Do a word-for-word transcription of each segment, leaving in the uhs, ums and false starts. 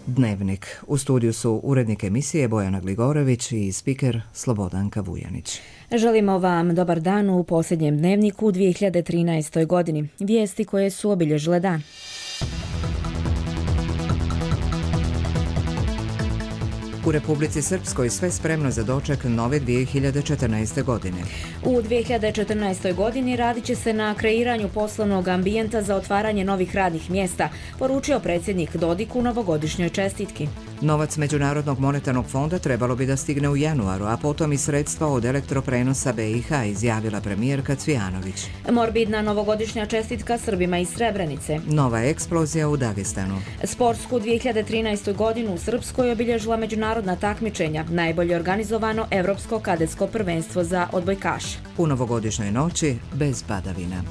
Dnevnik. U studiju su urednik emisije Bojana Gligorević i spiker Slobodanka Vujanić. Želimo vam dobar dan u posljednjem dnevniku u dvije hiljade trinaestoj godini. Vijesti koje su obilježile dan. U Republici Srpskoj sve spremno za doček nove dvije hiljade četrnaeste. godine. U dvije hiljade četrnaestoj. godini radit će se na kreiranju poslovnog ambijenta za otvaranje novih radnih mjesta, poručio predsjednik Dodik u novogodišnjoj čestitki. Novac Međunarodnog monetarnog fonda trebalo bi da stigne u januaru, a potom i sredstva od elektroprenosa B i H, izjavila premijerka Cvijanović. Morbidna novogodišnja čestitka Srbima iz Srebrenice. Nova eksplozija u Dagestanu. Sportsku dvije hiljade trinaestu. godinu u Srpskoj obilježila međunarodna takmičenja, najbolje organizovano Evropsko kadetsko prvenstvo za odbojkaše. U novogodišnjoj noći bez padavina.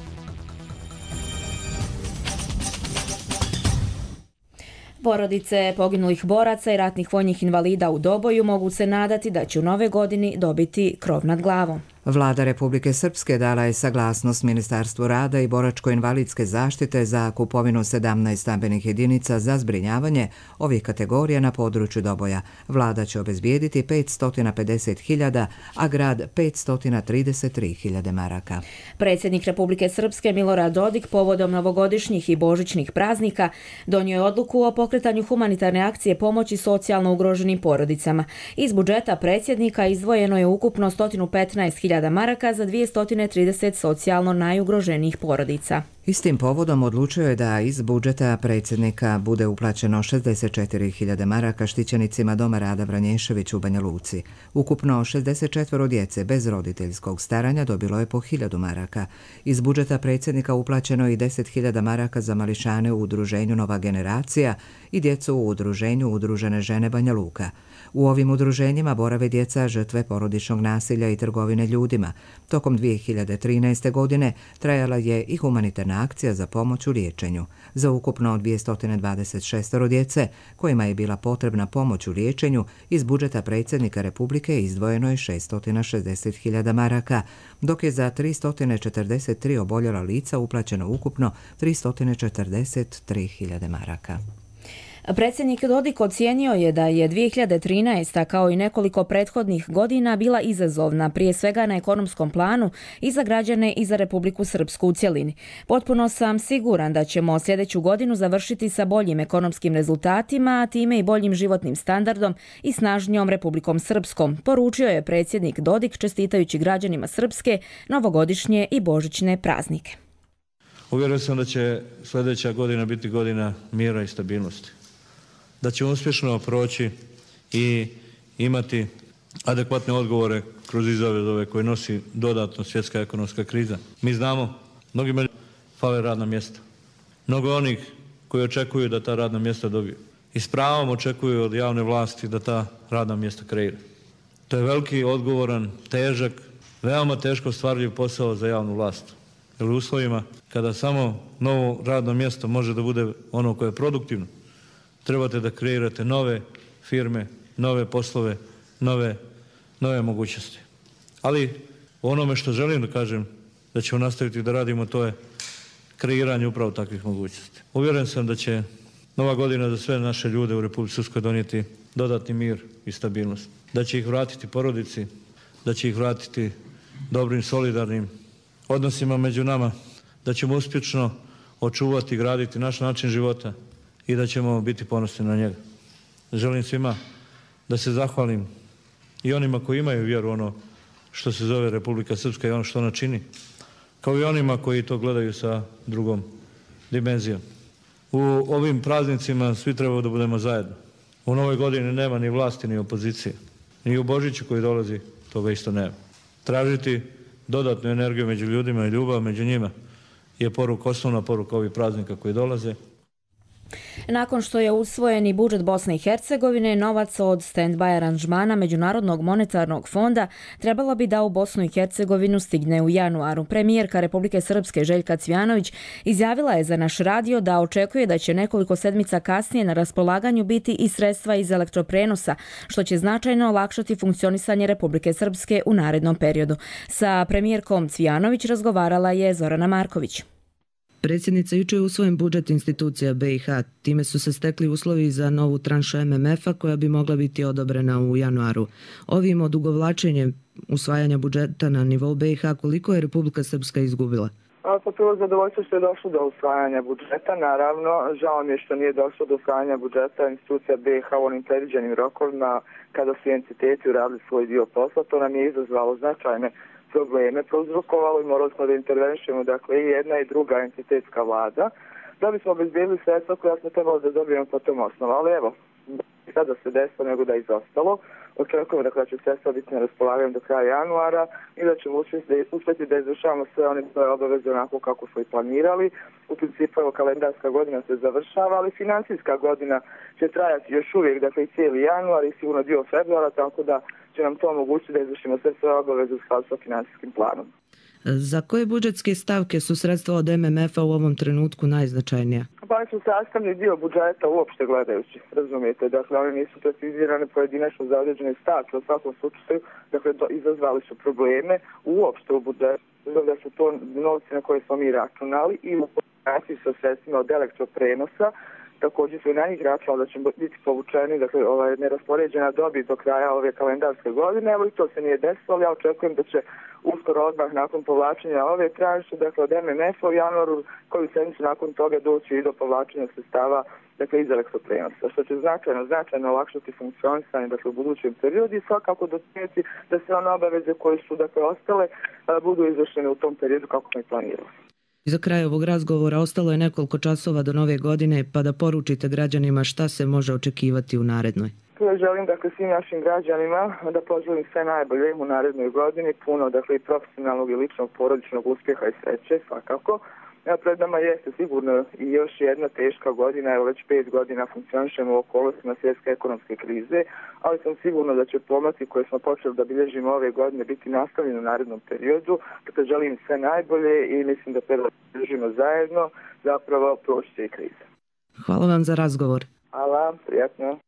Porodice poginulih boraca i ratnih vojnih invalida u Doboju mogu se nadati da će u nove godini dobiti krov nad glavom. Vlada Republike Srpske dala je saglasnost Ministarstvu rada i boračko-invalidske zaštite za kupovinu sedamnaest stambenih jedinica za zbrinjavanje ovih kategorija na području Doboja. Vlada će obezbijediti petsto pedeset hiljada, a grad petsto trideset tri hiljade maraka. Predsjednik Republike Srpske Milorad Dodik povodom novogodišnjih i božićnih praznika donio je odluku o pokretanju humanitarne akcije pomoći socijalno ugroženim porodicama. Iz budžeta predsjednika izdvojeno je ukupno sto petnaest hiljada maraka za dvjesto trideset socijalno najugroženijih porodica. Istim povodom odlučio je da iz budžeta predsjednika bude uplaćeno šezdeset četiri hiljade maraka štićenicima Doma Rada Vranješević u Banja Luci. Ukupno šezdeset četvoro djece bez roditeljskog staranja dobilo je po hiljadu maraka. Iz budžeta predsjednika uplaćeno je i deset hiljada maraka za mališane u udruženju Nova generacija i djecu u udruženju Udružene žene Banja Luka. U ovim udruženjima borave djeca žrtve porodičnog nasilja i trgovine ljudima. Tokom dvije hiljade trinaeste. godine trajala je i humanitarna akcija za pomoć u liječenju. Za ukupno dvjesto dvadeset šest djece kojima je bila potrebna pomoć u liječenju, iz budžeta predsjednika Republike izdvojeno je šesto šezdeset hiljada maraka, dok je za tristo četrdeset tri oboljela lica uplaćeno ukupno tristo četrdeset tri hiljade maraka. Predsjednik Dodik ocijenio je da je dvije hiljade trinaesta. kao i nekoliko prethodnih godina bila izazovna, prije svega na ekonomskom planu i za građane i za Republiku Srpsku u cjelini. Potpuno sam siguran da ćemo sljedeću godinu završiti sa boljim ekonomskim rezultatima, a time i boljim životnim standardom i snažnijom Republikom Srpskom, poručio je predsjednik Dodik čestitajući građanima Srpske novogodišnje i božićne praznike. Uvjeren sam da će sljedeća godina biti godina mira i stabilnosti. Da ćemo uspješno proći i imati adekvatne odgovore kroz izazove koje nosi dodatno svjetska ekonomska kriza. Mi znamo, mnogima fale radna mjesta. Mnogo onih koji očekuju da ta radna mjesta dobiju. I s pravom očekuju od javne vlasti da ta radna mjesta kreira. To je veliki, odgovoran, težak, veoma teško stvarljiv posao za javnu vlast. Jer u uslovima kada samo novo radno mjesto može da bude ono koje je produktivno, trebate da kreirate nove firme, nove poslove, nove, nove mogućnosti. Ali onome što želim da kažem da ćemo nastaviti da radimo, to je kreiranje upravo takvih mogućnosti. Uvjeren sam da će nova godina za sve naše ljude u Republici Srpskoj donijeti dodatni mir i stabilnost. Da će ih vratiti porodici, da će ih vratiti dobrim, solidarnim odnosima među nama, da ćemo uspješno očuvati i graditi naš način života i da ćemo biti ponosni na njega. Želim svima da se zahvalim i onima koji imaju vjeru ono što se zove Republika Srpska i ono što ona čini, kao i onima koji to gledaju sa drugom dimenzijom. U ovim praznicima svi trebamo da budemo zajedno. U novoj godini nema ni vlasti ni opozicije. Ni u Božiću koji dolazi toga isto nema. Tražiti dodatnu energiju među ljudima i ljubav među njima je poruka, osnovna poruka ovih praznika koji dolaze. Nakon što je usvojen i budžet Bosne i Hercegovine, novac od stand-by aranžmana Međunarodnog monetarnog fonda trebalo bi da u Bosnu i Hercegovinu stigne u januaru. Premijerka Republike Srpske Željka Cvijanović izjavila je za naš radio da očekuje da će nekoliko sedmica kasnije na raspolaganju biti i sredstva iz elektroprenosa, što će značajno olakšati funkcionisanje Republike Srpske u narednom periodu. Sa premijerkom Cvijanović razgovarala je Zorana Marković. Predsjednica, jučer je usvojen budžet institucija B i H. Time su se stekli uslovi za novu tranšu M M F-a koja bi mogla biti odobrena u januaru. Ovim odugovlačenjem usvajanja budžeta na nivou B i H koliko je Republika Srpska izgubila? Pa prvo zadovoljstvo što je došlo do usvajanja budžeta. Naravno, žao mi je što nije došlo do usvajanja budžeta institucija B i H u onim predviđenim rokovima kada su entiteti uradili svoj dio posla. To nam je izazvalo značajne probleme, prouzrokovalo i morali smo da intervenišemo, dakle i jedna i druga entitetska vlada, da bismo obezbedili sredstva koja smo trebali da dobijemo po tom osnovu. Ali evo, sada se desilo nego da je izostalo. Očekujemo dakle, da će sredstva biti na raspolaganju do kraja januara i da ćemo uspjeti da izvršavamo sve one svoje obaveze onako kako smo i planirali. U principu evo, kalendarska godina se završava, ali financijska godina će trajati još uvijek, dakle i cijeli januar i sigurno dio februara, tako da će nam to omogućiti da izvršimo sve svoje obaveze u skladu sa financijskim planom. Za koje budžetske stavke su sredstva od M M F-a u ovom trenutku najznačajnija? Pa oni su sastavni dio budžeta uopšte gledajući, razumijete. Dakle, oni nisu precizirane pojedinačno za određene stavke. U svakom slučaju, dakle, izazvali su probleme uopšte u budžetu. Da su to novci na koje smo mi računali i u kombinaciji sa sredstvima od elektroprenosa. Također su i na njih računali da će biti povučeni, dakle, ovaj, neraspoređena dobit do kraja ove kalendarske godine. Evo i to se nije desilo, ja očekujem da će uskoro odmah nakon povlačenja ove tranše, dakle od M M F-a u januaru, koju sedmicu nakon toga doći i do povlačenja sredstava, dakle iz elektroprenosa, što će značajno, značajno olakšati funkcionisanje, dakle u budućem periodu i svakako doprinijeti da sve one obaveze koje su, dakle, ostale budu izvršene u tom periodu kako smo i planirali. Za kraj ovog razgovora ostalo je nekoliko časova do nove godine, pa da poručite građanima šta se može očekivati u narednoj. Želim dakle svim našim građanima da poželim sve najbolje u narednoj godini, puno dakle i profesionalnog i ličnog porodičnog uspjeha i sreće svakako. Ja, pred nama jeste sigurno i još jedna teška godina, evo već pet godina funkcionišemo u okolnostima svjetske ekonomske krize, ali sam sigurno da će pomaci koje smo počeli da bilježimo ove godine biti nastavljeni u narednom periodu. Dakle, želim sve najbolje i mislim da treba da bilježimo zajedno, zapravo proći će i kriza. Hvala vam za razgovor. Hvala, prijatno.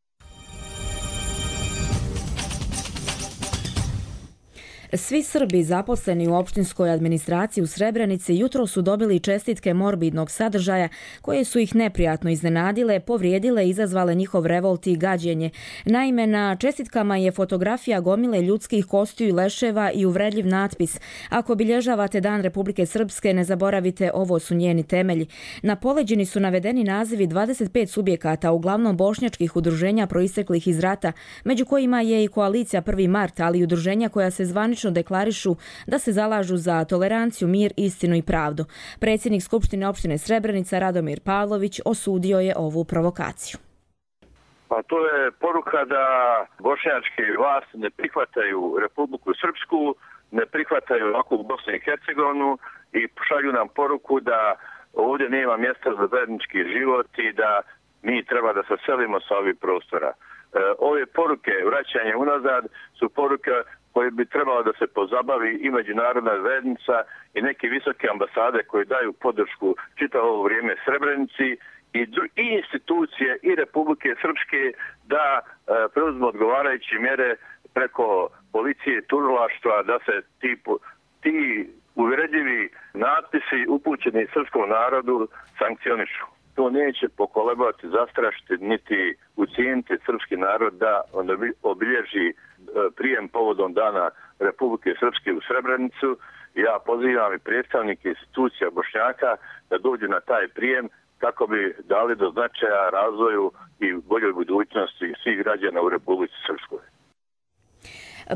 Svi Srbi zaposleni u opštinskoj administraciji u Srebrenici jutro su dobili čestitke morbidnog sadržaja koje su ih neprijatno iznenadile, povrijedile i izazvale njihov revolt i gađenje. Naime, na čestitkama je fotografija gomile ljudskih kostiju i leševa i uvredljiv natpis: "Ako obilježavate Dan Republike Srpske, ne zaboravite, ovo su njeni temelji." Na poleđini su navedeni nazivi dvadeset pet subjekata, uglavnom bošnjačkih udruženja proisteklih iz rata, među kojima je i koalicija prvi mart, ali i udruženja koja se zvanično deklarišu da se zalažu za toleranciju, mir, istinu i pravdu. Predsjednik Skupštine opštine Srebrenica Radomir Pavlović osudio je ovu provokaciju. Pa to je poruka da bošnjačke vlasti ne prihvataju Republiku Srpsku, ne prihvataju ovakvu Bosnu i Hercegovinu i šalju nam poruku da ovdje nema mjesta za zajednički život i da mi treba da se selimo sa ovih prostora. E, ove poruke vraćanje unazad su poruke koje bi trebalo da se pozabavi i međunarodna zajednica i neke visoke ambasade koje daju podršku čitavo ovo vrijeme Srebrenici i, i institucije i Republike Srpske da e, preuzmu odgovarajuće mjere preko policije i tužilaštva da se ti, ti uvredljivi natpisi upućeni srpskom narodu sankcionišu. To neće pokolebati, zastrašiti niti ucijeniti srpski narod da on obilježi prijem povodom Dana Republike Srpske u Srebrenicu. Ja pozivam i predstavnike institucija Bošnjaka da dođu na taj prijem kako bi dali do značaja razvoju i boljoj budućnosti svih građana u Republici Srpskoj.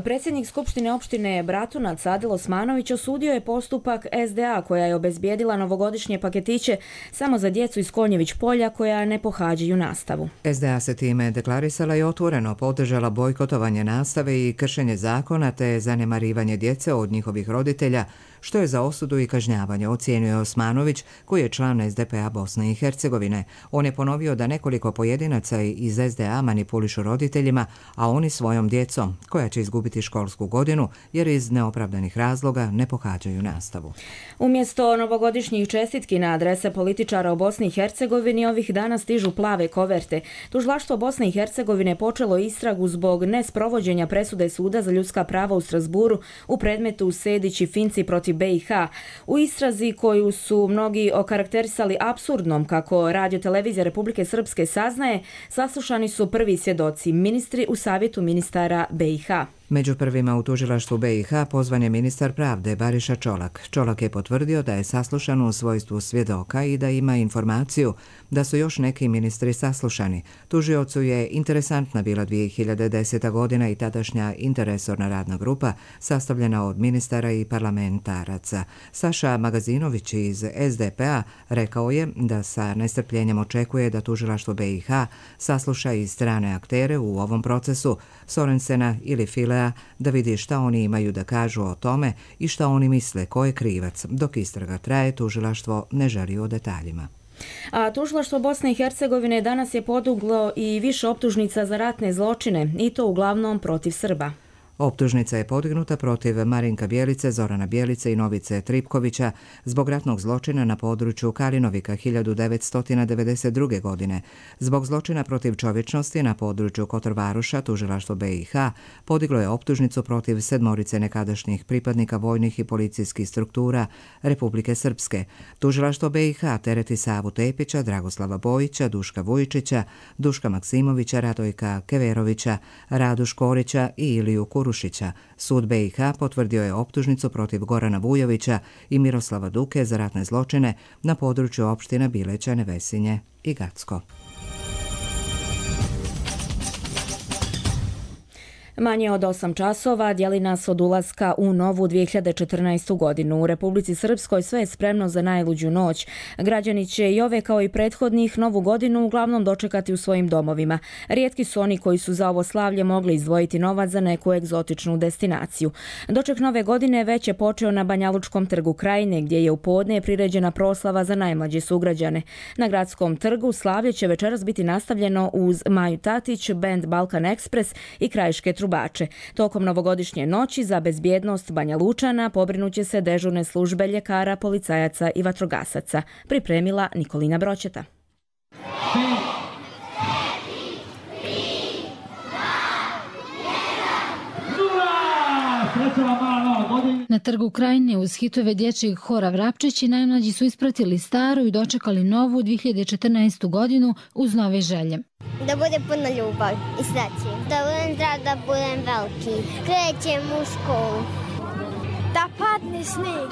Predsjednik Skupštine opštine Bratunac Adil Osmanović osudio je postupak S D A koja je obezbijedila novogodišnje paketiće samo za djecu iz Konjević polja koja ne pohađaju nastavu. S D A se time deklarisala i otvoreno podržala bojkotovanje nastave i kršenje zakona te zanemarivanje djece od njihovih roditelja, što je za osudu i kažnjavanje, ocijenio Osmanović, koji je član S D P A Bosne i Hercegovine. On je ponovio da nekoliko pojedinaca iz S D A manipulišu roditeljima, a oni svojom djecom, koja će izgubiti školsku godinu jer iz neopravdanih razloga ne pohađaju nastavu. Umjesto novogodišnjih čestitki na adrese političara u Bosni i Hercegovini ovih dana stižu plave koverte. Tužilaštvo Bosne i Hercegovine počelo istragu zbog nesprovođenja presude Suda za ljudska prava u Strasburu u predmetu Sedić i Finci protiv pomoći B i H. U istrazi koju su mnogi okarakterisali apsurdnom, kako Radio-televizija Republike Srpske saznaje, saslušani su prvi svjedoci, ministri u savjetu ministara B i H. Među prvima u tužilaštvu B i H pozvan je ministar pravde Bariša Čolak. Čolak je potvrdio da je saslušan u svojstvu svjedoka i da ima informaciju da su još neki ministri saslušani. Tužiocu je interesantna bila dvije hiljade deseta. godina i tadašnja interresorna radna grupa sastavljena od ministara i parlamentaraca. Saša Magazinović iz S D P a rekao je da sa nestrpljenjem očekuje da tužilaštvo B i H sasluša i strane aktere u ovom procesu, Sorensena ili Filea, da vidi šta oni imaju da kažu o tome i šta oni misle ko je krivac. Dok istraga traje, tužilaštvo ne želi o detaljima. A tužilaštvo Bosne i Hercegovine danas je podiglo i više optužnica za ratne zločine, i to uglavnom protiv Srba. Optužnica je podignuta protiv Marinka Bjelice, Zorana Bjelice i Novice Tripkovića zbog ratnog zločina na području Kalinovika hiljadu devetsto devedeset druge. godine. Zbog zločina protiv čovječnosti na području Kotorvaruša tužilaštvo B i H podiglo je optužnicu protiv sedmorice nekadašnjih pripadnika vojnih i policijskih struktura Republike Srpske. Tužilaštvo B i H tereti Savu Tepića, Dragoslava Bojića, Duška Vujičića, Duška Maksimovića, Radojka Keverovića, Radu Škorića i Iliju Kurušića. Sud B i H potvrdio je optužnicu protiv Gorana Vujovića i Miroslava Duke za ratne zločine na području opština Bileća, Nevesinje i Gacko. Manje od osam časova dijeli nas od ulaska u novu dvije hiljade četrnaestu. godinu. U Republici Srpskoj sve je spremno za najluđu noć. Građani će i ove kao i prethodnih novu godinu uglavnom dočekati u svojim domovima. Rijetki su oni koji su za ovo slavlje mogli izdvojiti novac za neku egzotičnu destinaciju. Doček nove godine već je počeo na Banjalučkom trgu Krajine, gdje je u podne priređena proslava za najmlađe sugrađane. Na Gradskom trgu slavlje će večeras biti nastavljeno uz Maju Tatić, bend Balkan Ekspres i krajiške trubače. Tokom novogodišnje noći za bezbjednost Banjalučana pobrinuće se dežurne službe ljekara, policajaca i vatrogasaca, pripremila Nikolina Broćeta. Na trgu Krajine uz hitove dječjeg hora Vrapčići najmlađi su ispratili staru i dočekali novu dvije hiljade četrnaestu. godinu uz nove želje. Da bude puno ljubav i sreće. Da budem zdrav, da budem veliki. Krećem u školu. Da padne snijeg.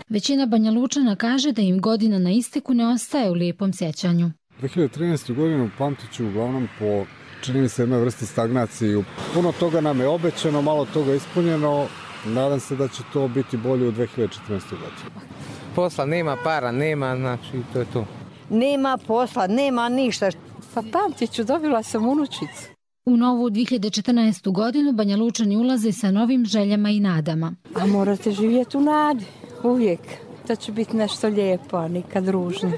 Većina Banjalučana kaže da im godina na isteku ne ostaje u lijepom sjećanju. dvije hiljade trinaestu. godinu pamtit ću uglavnom po, čini mi se, jednoj vrsti stagnaciji. Puno toga nam je obećano, malo toga ispunjeno. Nadam se da će to biti bolje u dvije hiljade četrnaestoj. godini. Posla nema, para nema, znači to je to. Nema posla, nema ništa. Pa pamtit ću, dobila sam unučicu. U novu dvije hiljade četrnaestu. godinu Banjalučani ulaze sa novim željama i nadama. A morate živjeti u nadi, uvijek. To će biti nešto lijepo, a nikad ružno.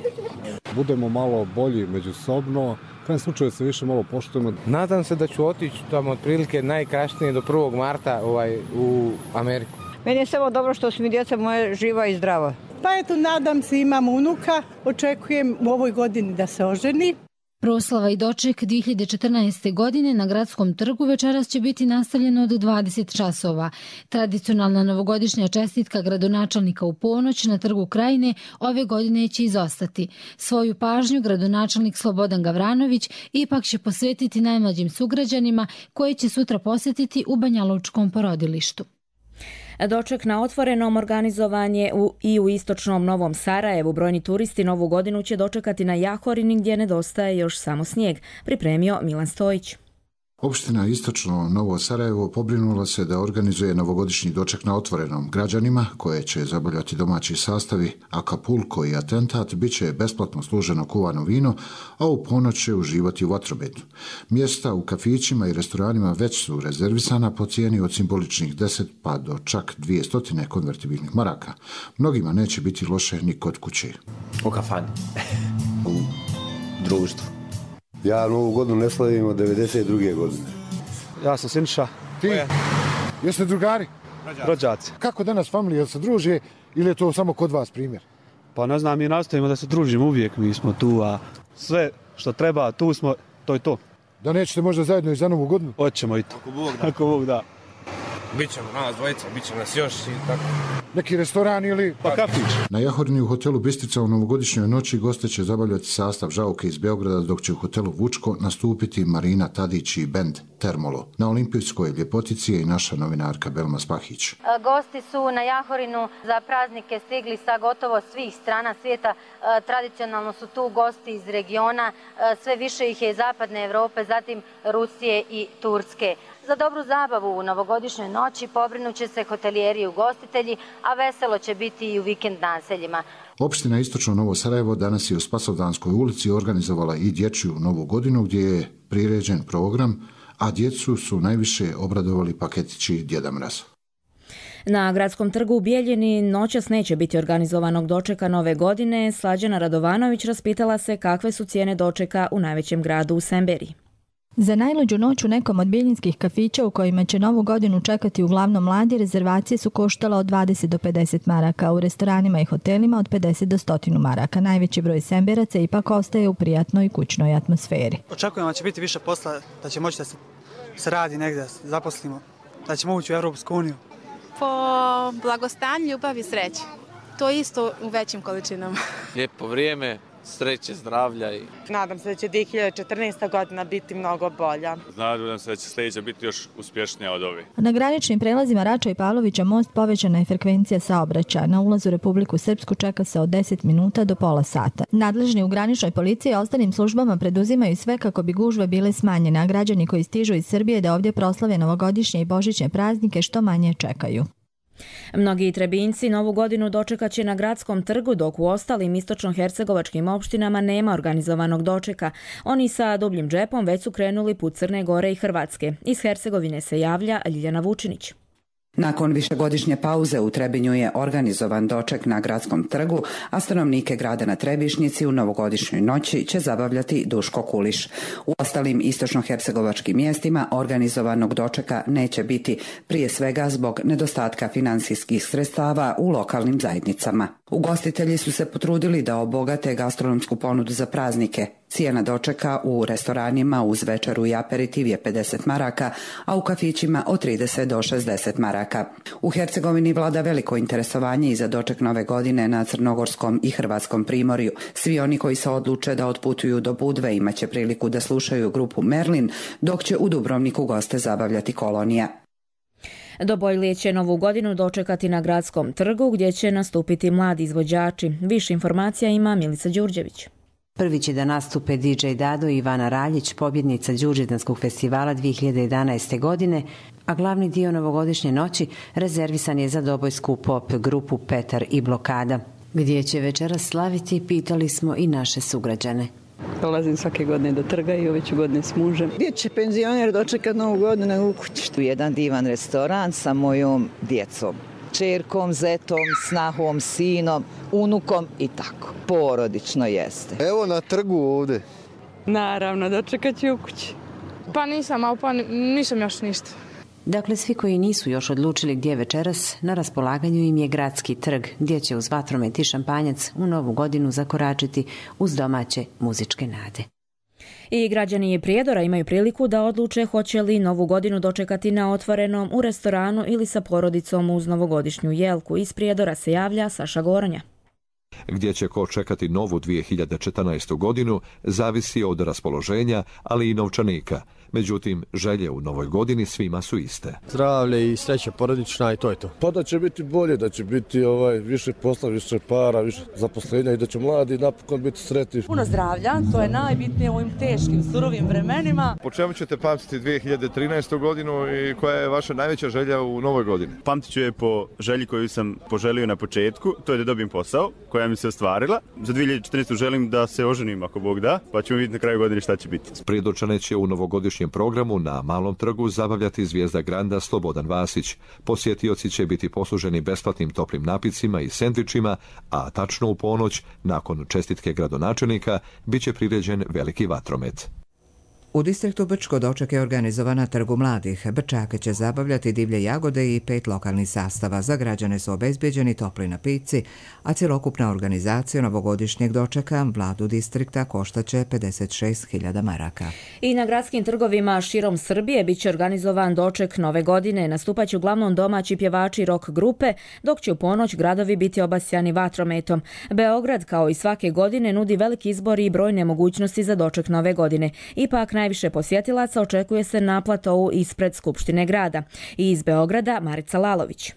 Budemo malo bolji međusobno, u krajem slučaju se više malo poštujemo. Nadam se da ću otići tamo otprilike najkasnije do prvog marta ovaj, u Ameriku. Meni je samo dobro što su mi djeca moje živa i zdrava. Pa eto, nadam se, imam unuka, očekujem u ovoj godini da se oženi. Proslava i doček dvije hiljade četrnaeste. godine na Gradskom trgu večeras će biti nastavljeno od dvadeset časova. Tradicionalna novogodišnja čestitka gradonačelnika u ponoć na trgu Krajine ove godine će izostati. Svoju pažnju gradonačelnik Slobodan Gavranović ipak će posvetiti najmlađim sugrađanima koje će sutra posjetiti u Banjalučkom porodilištu. Doček na otvorenom organizovan je u, i u istočnom Novom Sarajevu. Brojni turisti novu godinu će dočekati na Jahorini gdje nedostaje još samo snijeg, pripremio Milan Stojić. Opština Istočno Novo Sarajevo pobrinula se da organizuje novogodišnji doček na otvorenom. Građanima, koje će zabavljati domaći sastavi, Acapulco i Atentat, bit će besplatno služeno kuvano vino, a u ponoć će uživati u vatrometu. Mjesta u kafićima i restoranima već su rezervisana po cijeni od simboličnih deset pa do čak dvije stotine konvertibilnih maraka. Mnogima neće biti loše ni kod kuće. U kafani, u društvu. Ja novu godinu ne slavim od devedeset druge. godine. Ja sam Sinša. Ti? Jeste drugari? Rođaci. Kako danas familija se druže ili je to samo kod vas primjer? Pa ne znam, mi nastavimo da se družimo uvijek, mi smo tu, a sve što treba, tu smo, to je to. Da nećete možda zajedno i za novu godinu? Hoćemo i to. Ako Bog da. Ako Bog da. Bićemo nas dvojica, bit će nas još i tako. Neki restoran ili pa kafić. Na Jahorini u hotelu Bistica u novogodišnjoj noći goste će zabavljati sastav Žauke iz Beograda, dok će u hotelu Vučko nastupiti Marina Tadić i bend Termolo. Na olimpijskoj ljepotici je i naša novinarka Belma Spahić. Gosti su na Jahorinu za praznike stigli sa gotovo svih strana svijeta. Tradicionalno su tu gosti iz regiona, sve više ih je iz zapadne Evrope, zatim Rusije i Turske. Za dobru zabavu u novogodišnjoj noći pobrinuće se hotelijeri i ugostitelji, a veselo će biti i u vikend naseljima. Opština Istočno Novo Sarajevo danas je u Spasovdanskoj ulici organizovala i dječju novu godinu gdje je priređen program, a djecu su najviše obradovali paketići Djeda Mraza. Na Gradskom trgu u Bijeljini noćas neće biti organizovanog dočeka nove godine. Slađana Radovanović raspitala se kakve su cijene dočeka u najvećem gradu u Semberiji. Za najluđu noć u nekom od bijeljinskih kafića u kojima će novu godinu čekati uglavnom mladi, rezervacije su koštale od dvadeset do pedeset maraka, u restoranima i hotelima od pedeset do sto maraka. Najveći broj Semberaca ipak ostaje u prijatnoj kućnoj atmosferi. Očekujemo da će biti više posla, da će moći da se, se radi negdje, zaposlimo, da ćemo ući u Europsku uniju. Po blagostanju, ljubav i sreći. To isto u većim količinama. Lijepo vrijeme, sreće, zdravlja. I... Nadam se da će dvije hiljade četrnaesta godina biti mnogo bolja. Nadam se da će sljedeća biti još uspješnija od ove. Na graničnim prelazima Rača i Pavlovića most povećana je frekvencija saobraćaja. Na ulazu u Republiku Srpsku čeka se od deset minuta do pola sata. Nadležni u graničnoj policiji i ostalim službama preduzimaju sve kako bi gužve bile smanjene, a građani koji stižu iz Srbije da ovdje proslave novogodišnje i božićne praznike što manje čekaju. Mnogi Trebinjci novu godinu dočekat će na Gradskom trgu, dok u ostalim istočno-hercegovačkim opštinama nema organizovanog dočeka. Oni sa dubljim džepom već su krenuli put Crne Gore i Hrvatske. Iz Hercegovine se javlja Ljiljana Vučinić. Nakon višegodišnje pauze u Trebinju je organizovan doček na Gradskom trgu, a stanovnike grada na Trebišnjici u novogodišnjoj noći će zabavljati Duško Kuliš. U ostalim istočno-hercegovačkim mjestima organizovanog dočeka neće biti, prije svega zbog nedostatka financijskih sredstava u lokalnim zajednicama. Ugostitelji su se potrudili da obogate gastronomsku ponudu za praznike. Cijena dočeka u restoranima uz večeru i aperitiv je pedeset maraka, a u kafićima od trideset do šezdeset maraka. U Hercegovini vlada veliko interesovanje i za doček nove godine na Crnogorskom i Hrvatskom primorju. Svi oni koji se odluče da otputuju do Budve imaće priliku da slušaju grupu Merlin, dok će u Dubrovniku goste zabavljati Kolonija. Dobojlije će novu godinu dočekati na Gradskom trgu gdje će nastupiti mladi izvođači. Više informacija ima Milica Đurđević. Prvi će da nastupe D J Dado i Ivana Raljić, pobjednica Đurđevdanskog festivala dvije hiljade jedanaeste. godine, a glavni dio novogodišnje noći rezervisan je za dobojsku pop grupu Petar i Blokada. Gdje će večeras slaviti, pitali smo i naše sugrađane. Dolazim svake godine do trga i ove ću godine s mužem. Gdje će penzioner dočekati novu godinu u kući? Tu je jedan divan restoran sa mojom djecom. Čerkom, zetom, snahom, sinom, unukom i tako. Porodično jeste. Evo na trgu ovdje. Naravno, dočekat ću u kući. Pa nisam, ali pa nisam još ništa. Dakle, svi koji nisu još odlučili gdje večeras, na raspolaganju im je Gradski trg, gdje će uz vatromet i šampanjac u novu godinu zakoračiti uz domaće muzičke nade. I građani Prijedora imaju priliku da odluče hoće li novu godinu dočekati na otvorenom, u restoranu ili sa porodicom uz novogodišnju jelku. Iz Prijedora se javlja Saša Goronja. Gdje će ko čekati novu dvije hiljade četrnaestu. godinu zavisi od raspoloženja, ali i novčanika. Međutim, želje u novoj godini svima su iste. Zdravlje i sreća porodična i to je to. Pa da će biti bolje, da će biti ovaj, više posla, više para, više zaposlenja i da će mladi napokon biti sretni. Puno zdravlja, to je najbitnije u ovim teškim, surovim vremenima. Po čemu ćete pamtiti dvije hiljade trinaestu. godinu i koja je vaša najveća želja u novoj godini? Pamtit ću je po želji koju sam poželio na početku, to je da dobijem posao, koja mi se ostvarila. Za dvije hiljade četrnaestu. želim da se oženim ako Bog da, pa ćemo vidjeti na kraju godine šta će biti. Prijedorčane će u novogodišnjem programu na Malom trgu zabavljati zvijezda granda Slobodan Vasić. Posjetioci će biti posluženi besplatnim toplim napicima i sendvičima, a tačno u ponoć, nakon čestitke gradonačelnika, bit će priređen veliki vatromet. U distriktu Brčko doček je organizovan na Trgu mladih. Brčake će zabavljati divlje jagode i pet lokalnih sastava. Za građane su obezbeđeni topli napici, a cjelokupna organizacija novogodišnjeg dočeka vladu distrikta koštaće pedeset šest hiljada maraka. I na gradskim trgovima širom Srbije bit će organizovan doček nove godine. Nastupaće uglavnom domaći pjevači rock grupe, dok će u ponoć gradovi biti obasjani vatrometom. Beograd, kao i svake godine, nudi veliki izbor i brojne mogućnosti za doček nove godine. Ipak najviše posjetilaca očekuje se na platovu ispred Skupštine grada. I iz Beograda Marica Lalović.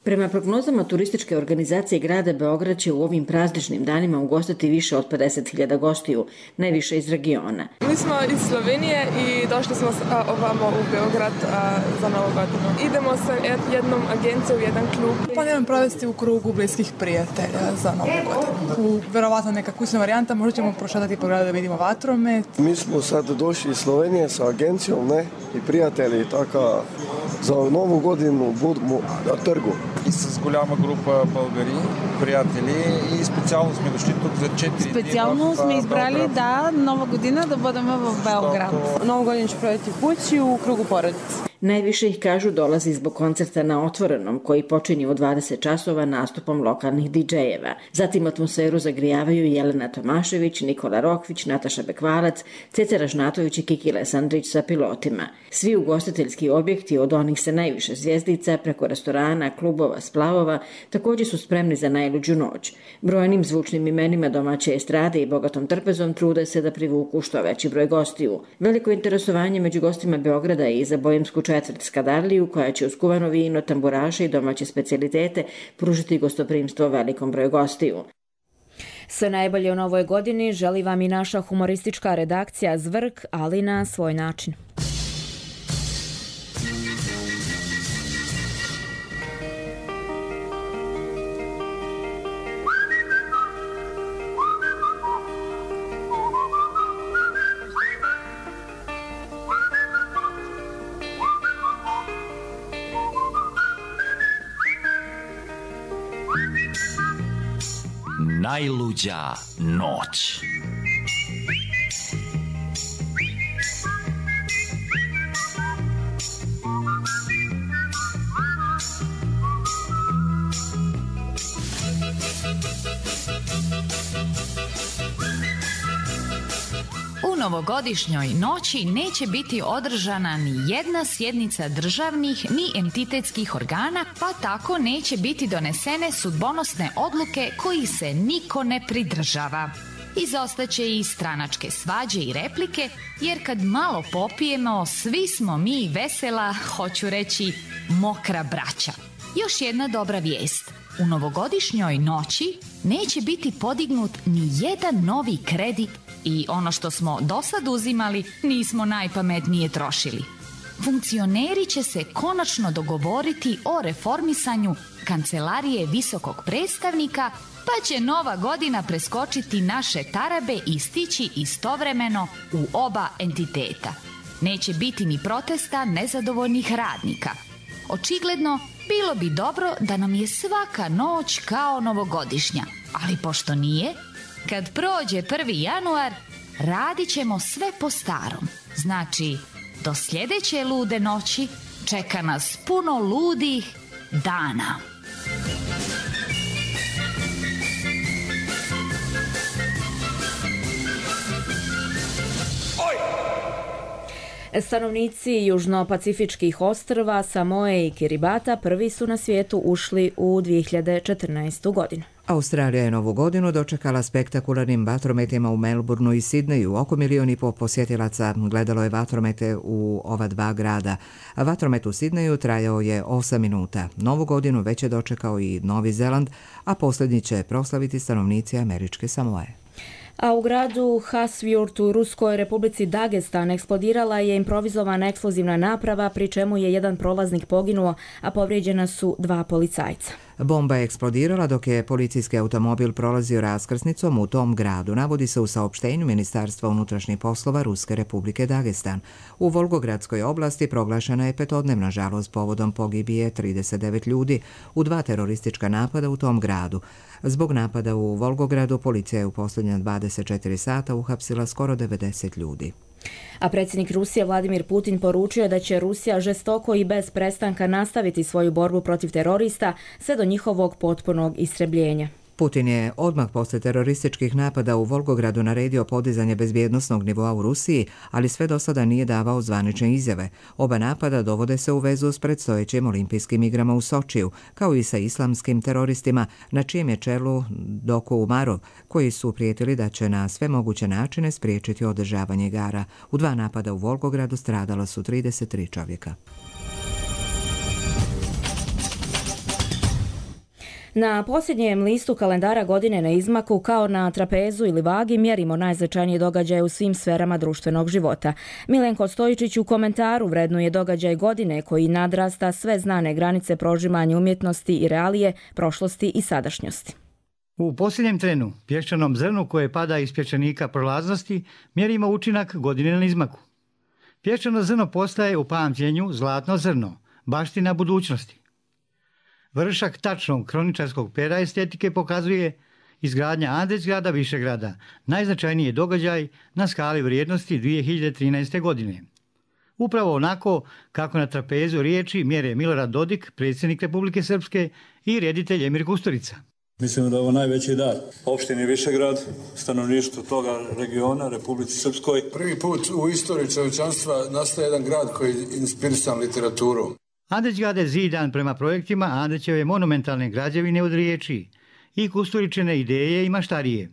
Prema prognozama turističke organizacije grada Beograd će u ovim prazničnim danima ugostiti više od pedeset hiljada gostiju, najviše iz regiona. Mi smo iz Slovenije i došli smo ovamo u Beograd a, za novu godinu. Idemo sa jednom agencijom u jedan klub. Planiram provesti u krugu bliskih prijatelja za novu godinu. U verovatno neka kućna varijanta, možda ćemo prošetati po gradu da vidimo vatromet. Mi smo sad došli iz Slovenije sa agencijom, ne, i prijatelji, така za novu godinu budemo na trgu. И с голяма група българи, приятели и специално сме дошли тук за четири дни. Специално сме избрали да нова година да бъдем в Белград. Novu godinu ću provesti u kući u krugu porodice. Najviše ih, kažu, dolazi zbog koncerta na Otvorenom, koji počinje u dvadeset časova nastupom lokalnih didžejeva. Zatim atmosferu zagrijavaju Jelena Tomašević, Nikola Rokvić, Nataša Bekvalac, Ceca Ražnatović i Kiki Lesandrić sa pilotima. Svi ugostiteljski objekti, od onih sa najviše zvjezdica, preko restorana, klubova, splavova, također su spremni za najluđu noć. Brojnim zvučnim imenima domaće estrade i bogatom trpezom trude se da privuku što veći broj gostiju. Veliko interesovanje među gostima Beograda je i za bojemsku četvrt Skadarliju, koja će uz kuvano vino, tamburaše i domaće specijalitete pružiti gostoprimstvo velikom broju gostiju. Sve najbolje u novoj godini želi vam i naša humoristička redakcija Zvrk, ali na svoj način. Najluđa noć. U novogodišnjoj noći neće biti održana ni jedna sjednica državnih ni entitetskih organa, pa tako neće biti donesene sudbonosne odluke koji se niko ne pridržava. Izostaće i stranačke svađe i replike, jer kad malo popijemo, svi smo mi vesela, hoću reći, mokra braća. Još jedna dobra vijest. U novogodišnjoj noći neće biti podignut ni jedan novi kredit i ono što smo do sad uzimali nismo najpametnije trošili. Funkcioneri će se konačno dogovoriti o reformisanju kancelarije visokog predstavnika, pa će nova godina preskočiti naše tarabe i stići istovremeno u oba entiteta. Neće biti ni protesta nezadovoljnih radnika. Očigledno, bilo bi dobro da nam je svaka noć kao novogodišnja, ali pošto nije, kad prođe prvi januar, radit ćemo sve po starom. Znači, do sljedeće lude noći čeka nas puno ludih dana. Stanovnici južno-pacifičkih ostrva Samoe i Kiribata prvi su na svijetu ušli u dvije hiljade četrnaestu godinu. Australija je novu godinu dočekala spektakularnim vatrometima u Melbourneu i Sidneju. Oko milion i po posjetilaca gledalo je vatromete u ova dva grada. Vatromet u Sidneju trajao je osam minuta. Novu godinu već je dočekao i Novi Zeland, a posljednji će proslaviti stanovnici Američke Samoe. A u gradu Hasvjurt u Ruskoj republici Dagestan eksplodirala je improvizovana eksplozivna naprava, pri čemu je jedan prolaznik poginuo, a povrijeđena su dva policajca. Bomba je eksplodirala dok je policijski automobil prolazio raskrsnicom u tom gradu, navodi se u saopštenju Ministarstva unutrašnjih poslova Ruske republike Dagestan. U Volgogradskoj oblasti proglašena je petodnevna žalost povodom pogibije trideset devet ljudi u dva teroristička napada u tom gradu. Zbog napada u Volgogradu policija je u posljednja dvadeset četiri sata uhapsila skoro devedeset ljudi. A predsjednik Rusije Vladimir Putin poručio da će Rusija žestoko i bez prestanka nastaviti svoju borbu protiv terorista sve do njihovog potpunog istrebljenja. Putin je odmah posle terorističkih napada u Volgogradu naredio podizanje bezbjednosnog nivoa u Rusiji, ali sve do sada nije davao zvanične izjave. Oba napada dovode se u vezu s predstojećim olimpijskim igrama u Sočiju, kao i sa islamskim teroristima, na čijem je čelu Doku Umarov, koji su prijetili da će na sve moguće načine spriječiti održavanje igara. U dva napada u Volgogradu stradala su trideset tri čovjeka. Na posljednjem listu kalendara godine na izmaku, kao na trapezu ili vagi, mjerimo najznačajnije događaje u svim sferama društvenog života. Milenko Stojičić u komentaru vrednuje događaj godine koji nadrasta sve znane granice prožimanja umjetnosti i realije, prošlosti i sadašnjosti. U posljednjem trenu, pješčanom zrnu koje pada iz pješčanika prolaznosti, mjerimo učinak godine na izmaku. Pješčano zrno postaje u pamćenju zlatno zrno, baština budućnosti. Vršak tačnog kroničarskog pera estetike pokazuje izgradnja Andrićgrada Višegrada, najznačajniji događaj na skali vrijednosti dvije hiljade trinaeste. godine. Upravo onako kako na trapezu riječi mjere Milorad Dodik, predsjednik Republike Srpske, i reditelj Emir Kusturica. Mislim da je ovo najveći dar opštini Višegrad, stanovništvu toga regiona, Republici Srpskoj. Prvi put u istoriji čovječanstva nastaje jedan grad koji je inspirisan literaturom. Andrićgrad je zidan prema projektima Andrićeve monumentalne građevine od riječi i Kusturičine ideje i maštarije.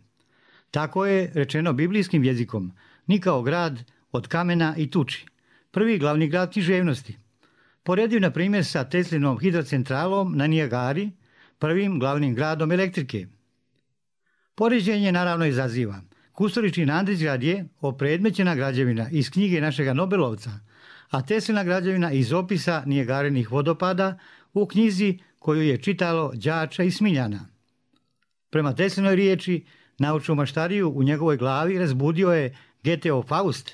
Tako je rečeno biblijskim jezikom, ni kao grad od kamena i tuči, prvi glavni grad književnosti. Poredio na primjer sa Teslinom hidrocentralom na Nijagari, prvim glavnim gradom elektrike. Poređenje naravno izaziva. Kusturičin Andrićgrad je opredmećena građevina iz knjige našega Nobelovca, a Teslina građevina iz opisa Nijagarenih vodopada u knjizi koju je čitalo đača i Smiljana. Prema Teslinoj riječi, naučnu maštariju u njegovoj glavi razbudio je Goetheov Faust,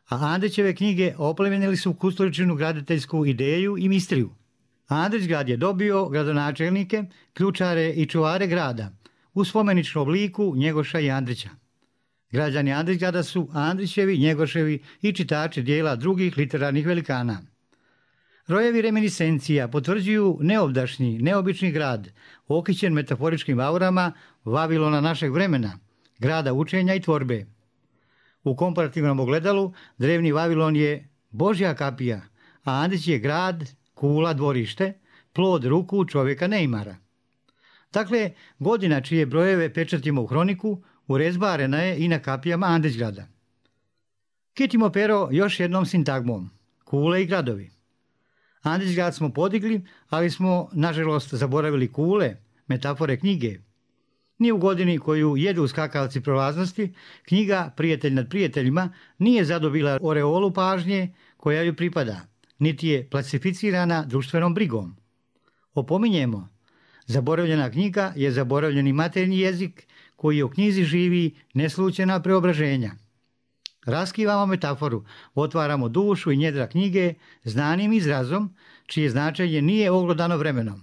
a Andrićeve knjige oplemenili su Kusturičinu graditeljsku ideju i mistriju. Andrićgrad je dobio gradonačelnike, ključare i čuvare grada u spomeničnom obliku Njegoša i Andrića. Građani Andrićgrada su Andrićevi, Njegoševi i čitači dijela drugih literarnih velikana. Rojevi reminiscencija potvrđuju neovdašnji, neobični grad, okićen metaforičkim aurama Vavilona našeg vremena, grada učenja i tvorbe. U komparativnom ogledalu drevni Vavilon je Božja kapija, a Andrić je grad, kula, dvorište, plod ruku čovjeka neimara. Dakle, godina čije brojeve pečatimo u hroniku, urezbarena je i na kapijama Andrićgrada. Kitimo pero još jednom sintagmom, kule i gradovi. Andrićgrad smo podigli, ali smo, nažalost, zaboravili kule, metafore knjige. Ni u godini koju jedu skakavci prolaznosti, knjiga Prijatelj nad prijateljima nije zadobila oreolu pažnje koja ju pripada, niti je klasificirana društvenom brigom. Opominjemo, zaboravljena knjiga je zaboravljeni maternji jezik koji u knjizi živi neslučajna preobraženja. Raskivamo metaforu, otvaramo dušu i njedra knjige znanim izrazom, čije značenje nije oglodano vremenom.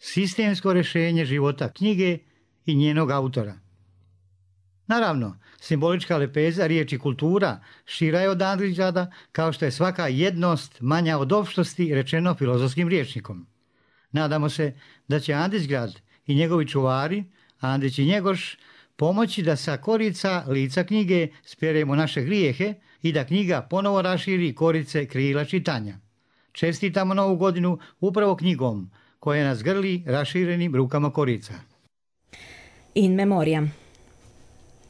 Sistemsko rješenje života knjige i njenog autora. Naravno, simbolička lepeza riječi kultura šira je od Andrićgrada, kao što je svaka jednost manja od opštosti rečeno filozofskim rječnikom. Nadamo se da će Andrićgrad i njegovi čuvari, Andrić i Njegoš, pomoći da sa korica lica knjige speremo naše grijehe i da knjiga ponovo raširi korice krila čitanja. Čestitamo novu godinu upravo knjigom koja nas grli raširenim rukama korica. In memoriam.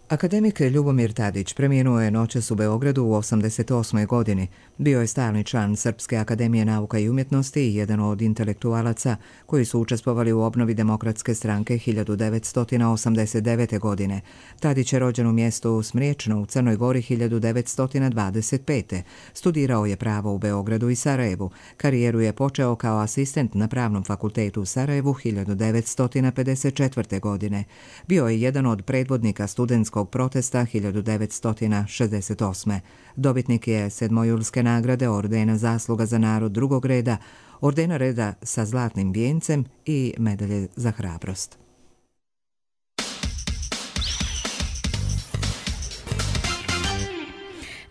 Akademik Ljubomir Tadić preminuo je noćas u Beogradu u osamdeset osmoj. godini. Bio je stalni član Srpske akademije nauka i umjetnosti i jedan od intelektualaca koji su učestvovali u obnovi Demokratske stranke hiljadu devetsto osamdeset devete. godine. Tadić je rođen u mjestu Smriječno u Crnoj Gori hiljadu devetsto dvadeset pete. Studirao je pravo u Beogradu i Sarajevu. Karijeru je počeo kao asistent na Pravnom fakultetu u Sarajevu hiljadu devetsto pedeset četvrte. godine. Bio je jedan od predvodnika studentskog protesta hiljadu devetsto šezdeset osme. Dobitnik je sedmojulske nagrade, ordena Zasluga za narod drugog reda, ordena reda sa zlatnim vijencem i medalje za hrabrost.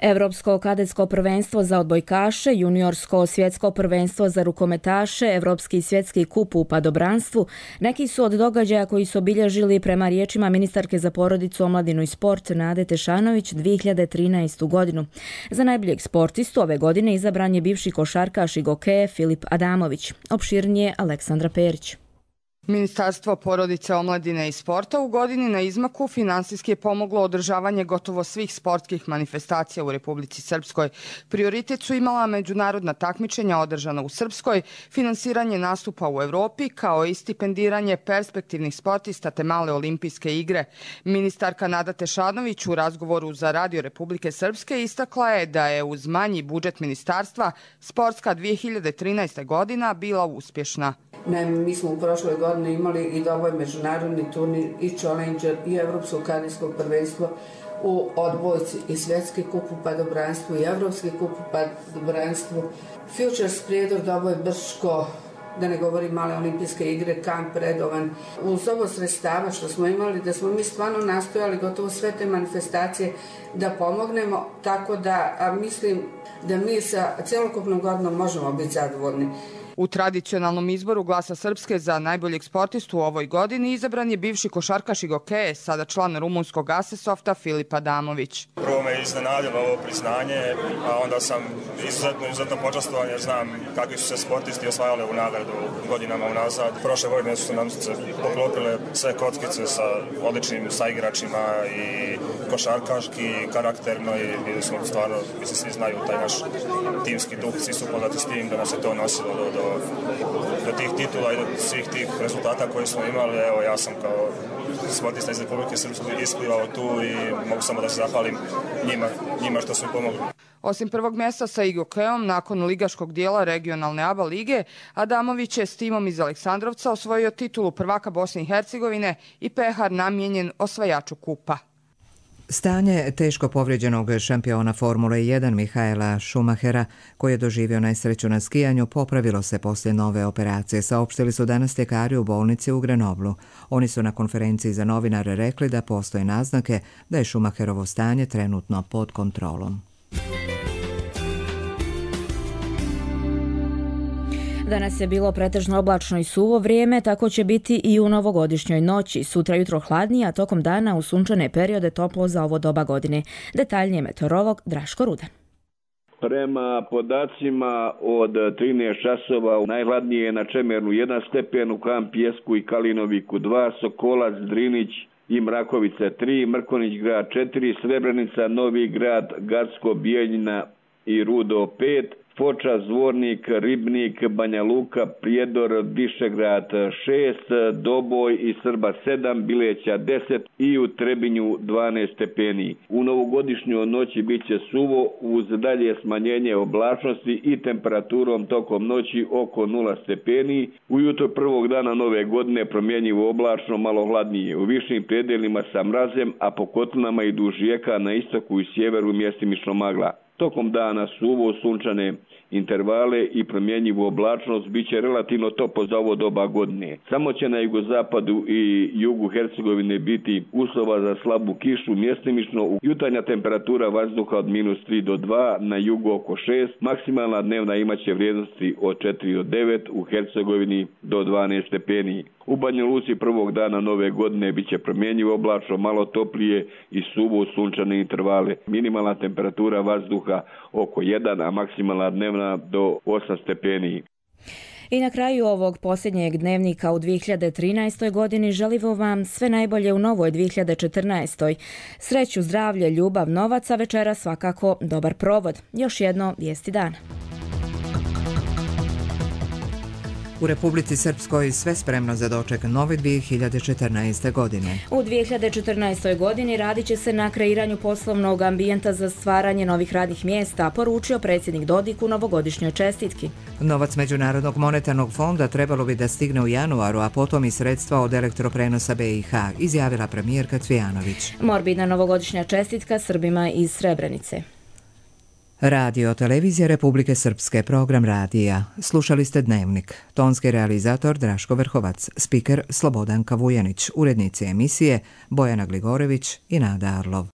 Evropsko kadetsko prvenstvo za odbojkaše, juniorsko svjetsko prvenstvo za rukometaše, Evropski svjetski kup u padobranstvu, neki su od događaja koji su obilježili, prema riječima ministarke za porodicu, omladinu i sport Nade Tešanović, dvije hiljade trinaestu godinu. Za najboljeg sportistu ove godine izabran je bivši košarkaš i gokeje Filip Adamović. Opširnije Aleksandra Perić. Ministarstvo porodice, omladine i sporta u godini na izmaku finansijski je pomoglo održavanje gotovo svih sportskih manifestacija u Republici Srpskoj. Prioritet su imala međunarodna takmičenja održana u Srpskoj, finansiranje nastupa u Evropi, kao i stipendiranje perspektivnih sportista te male olimpijske igre. Ministarka Nada Tešanović u razgovoru za Radio Republike Srpske istakla je da je uz manji budžet ministarstva sportska dvije hiljade trinaesta godina bila uspješna. Naime, mi smo u prošloj godini imali i doboj međunarodni turnir i Challenger i Evropsko kadetsko prvenstvo u odbojci i svjetski kup u padobranstvu i Evropski kup u padobranstvu. Futures Prijedor, doboj Brško, da ne govorim male olimpijske igre, kamp redovan. Uz ovo sredstava što smo imali, da smo mi stvarno nastojali gotovo sve te manifestacije da pomognemo, tako da a mislim da mi sa celokupnom godinom možemo biti zadovoljni. U tradicionalnom izboru Glasa Srpske za najboljeg sportistu u ovoj godini izabran je bivši košarkaš i gokeje, sada član rumunskog Asesofta Filip Adamović. Prvo me iznenadilo ovo priznanje, a onda sam izuzetno, izuzetno počastovan jer znam kakvi su se sportisti osvajali u nagradu godinama unazad. Prošle godine su nam se poklopile sve kockice sa odličnim saigračima i košarkaški, i karakterno i bili smo stvarno, mislim svi znaju taj naš timski duh, svi su poznati s tim da nas je to nosilo do, do do tih titula i do svih tih rezultata koje smo imali. Evo, ja sam kao sportista iz Republike Srpske isplivao tu i mogu samo da se zahvalim njima, njima što su mi pomogli. Osim prvog mjesta sa igokeom, nakon ligaškog dijela regionalne A B A lige, Adamović je s timom iz Aleksandrovca osvojio titulu prvaka Bosne i Hercegovine i pehar namijenjen osvajaču kupa. Stanje teško povrijeđenog šampiona Formule jedan Mihaela Schumachera, koji je doživio nesreću na skijanju, popravilo se poslije nove operacije, saopštili su danas ljekari u bolnici u Grenoblu. Oni su na konferenciji za novinare rekli da postoje naznake da je Schumacherovo stanje trenutno pod kontrolom. Danas je bilo pretežno oblačno i suvo vrijeme, tako će biti i u novogodišnjoj noći. Sutra jutro hladnije, a tokom dana u sunčane periode toplo za ovo doba godine. Detaljnije meteorolog Draško Rudan. Prema podacima od trinaest časova najhladnije je na Čemernu jedan stepen, u Kamp Pjesku i Kalinoviku dva, Sokolac, Drinić i Mrakovica tri, Mrkonić grad četiri, Srebrenica, Novi grad, Gacko, Bijeljina i Rudo pet, Foča, Zvornik, Ribnik, Banja Luka, Prijedor, Višegrad šest, Doboj i Srba sedam, Bileća deset i u Trebinju dvanaest stepeni. U novogodišnjoj noći bit će suvo uz dalje smanjenje oblačnosti i temperaturom tokom noći oko nula stepeni. Ujutro prvog dana nove godine promjenjivo oblačno, malo hladnije. U višim predelima sa mrazem, a po kotlinama i duž rijeka na istoku i sjeveru mjestimično magla. Tokom dana suvo, sunčane intervale i promjenjivu oblačnost bit će relativno toplo za ovo doba godine. Samo će na jugozapadu i jugu Hercegovine biti uslova za slabu kišu, mjestimično jutarnja temperatura vazduha od minus tri do dva, na jugu oko šest, maksimalna dnevna imaće vrijednosti od četiri do devet, u Hercegovini do dvanaest stepeni. U Banja Luci prvog dana nove godine bit će promjenjivo oblačno, malo toplije i suvo, sunčane intervale. Minimalna temperatura vazduha oko jedan, a maksimalna dnevna do osam stepeni. I na kraju ovog posljednjeg dnevnika u dvije hiljade trinaestoj godini želimo vam sve najbolje u novoj dvije hiljade četrnaestoj. Sreću, zdravlje, ljubav, novac, a večera svakako dobar provod. Još jedno vijesti dana. U Republici Srpskoj sve spremno za doček nove dvije hiljade četrnaeste. godine. U dvije hiljade četrnaestoj. godini radit će se na kreiranju poslovnog ambijenta za stvaranje novih radnih mjesta, poručio predsjednik Dodik u novogodišnjoj čestitki. Novac Međunarodnog monetarnog fonda trebalo bi da stigne u januaru, a potom i sredstva od elektroprenosa B i H, izjavila premijerka Cvijanović. Morbidna novogodišnja čestitka Srbima iz Srebrenice. Radio Televizija Republike Srpske, program radija. Slušali ste Dnevnik. Tonski realizator Draško Vrhovac, spiker Slobodanka Vujanić, urednici emisije Bojana Gligorević i Nada Arlov.